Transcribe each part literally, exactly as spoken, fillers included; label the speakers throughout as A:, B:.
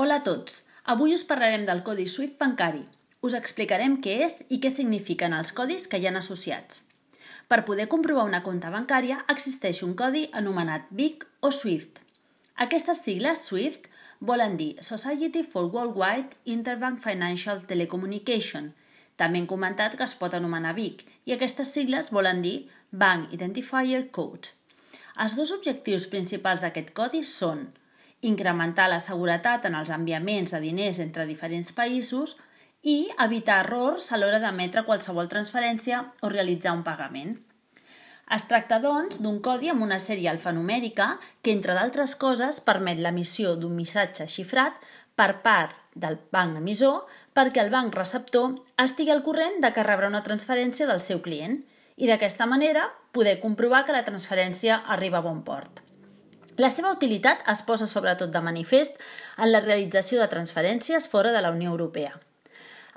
A: Hola a tots! Avui us parlarem del codi SWIFT bancari. Us explicarem què és i què signifiquen els codis que hi ha associats. Per poder comprovar una compta bancària existeix un codi anomenat B I C o SWIFT. Aquestes sigles SWIFT volen dir Society for Worldwide Interbank Financial Telecommunication. També hem comentat que es pot anomenar B I C i aquestes sigles volen dir Bank Identifier Code. Els dos objectius principals d'aquest codi són incrementar la seguretat en els enviaments de diners entre diferents països i evitar errors a l'hora d'emetre qualsevol transferència o realitzar un pagament. Es tracta, doncs, d'un codi amb una sèrie alfanumèrica que, entre d'altres coses, permet l'emissió d'un missatge xifrat per part del banc emissor perquè el banc receptor estigui al corrent de que rebrà una transferència del seu client i d'aquesta manera poder comprovar que la transferència arriba a bon port. La seva utilitat es posa sobretot de manifest en la realització de transferències fora de la Unió Europea.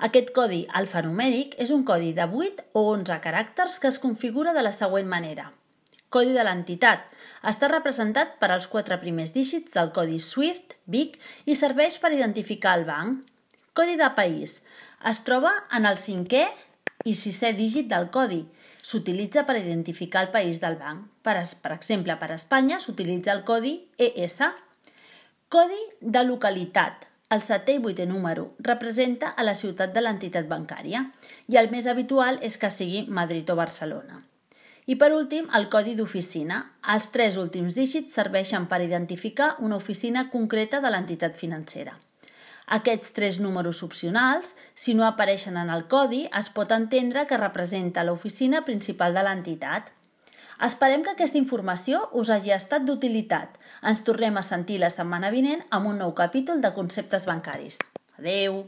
A: Aquest codi alfanumèric és un codi de vuit o onze caràcters que es configura de la següent manera. Codi de l'entitat. Està representat per als quatre primers dígits del codi SWIFT, B I C i serveix per identificar el banc. Codi de país. Es troba en el cinquè i sisè dígit del codi. S'utilitza per identificar el país del banc. Per, per exemple, per Espanya s'utilitza el codi E S. Codi de localitat. El setè i vuitè número representa a la ciutat de l'entitat bancària i el més habitual és que sigui Madrid o Barcelona. I per últim, el codi d'oficina. Els tres últims dígits serveixen per identificar una oficina concreta de l'entitat financera. Aquests tres números opcionals, si no apareixen en el codi, es pot entendre que representa l'oficina principal de l'entitat. Esperem que aquesta informació us hagi estat d'utilitat. Ens tornem a sentir la setmana vinent amb un nou capítol de conceptes bancaris. Adeu!